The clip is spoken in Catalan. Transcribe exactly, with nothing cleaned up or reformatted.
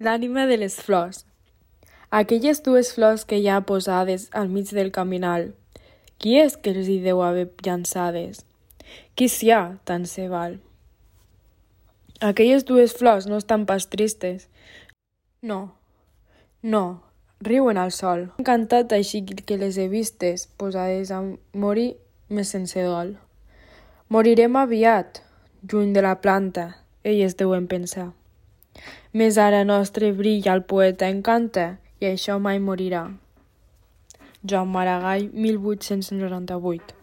L'ànima de les flors. Aquelles dues flors que hi ha posades al mig del caminal, qui és que els hi deu haver llançades? Qui s'hi ha, tant se val? Aquelles dues flors no estan pas tristes. No, no, riuen al sol. M'ha encantat així que les he vistes, posades a morir més sense dol. Morirem aviat, lluny de la planta, elles deuen pensar. Més ara nostre brilla al poeta encanta, i això mai morirà. Joan Maragall, mil vuit-cents noranta-vuit.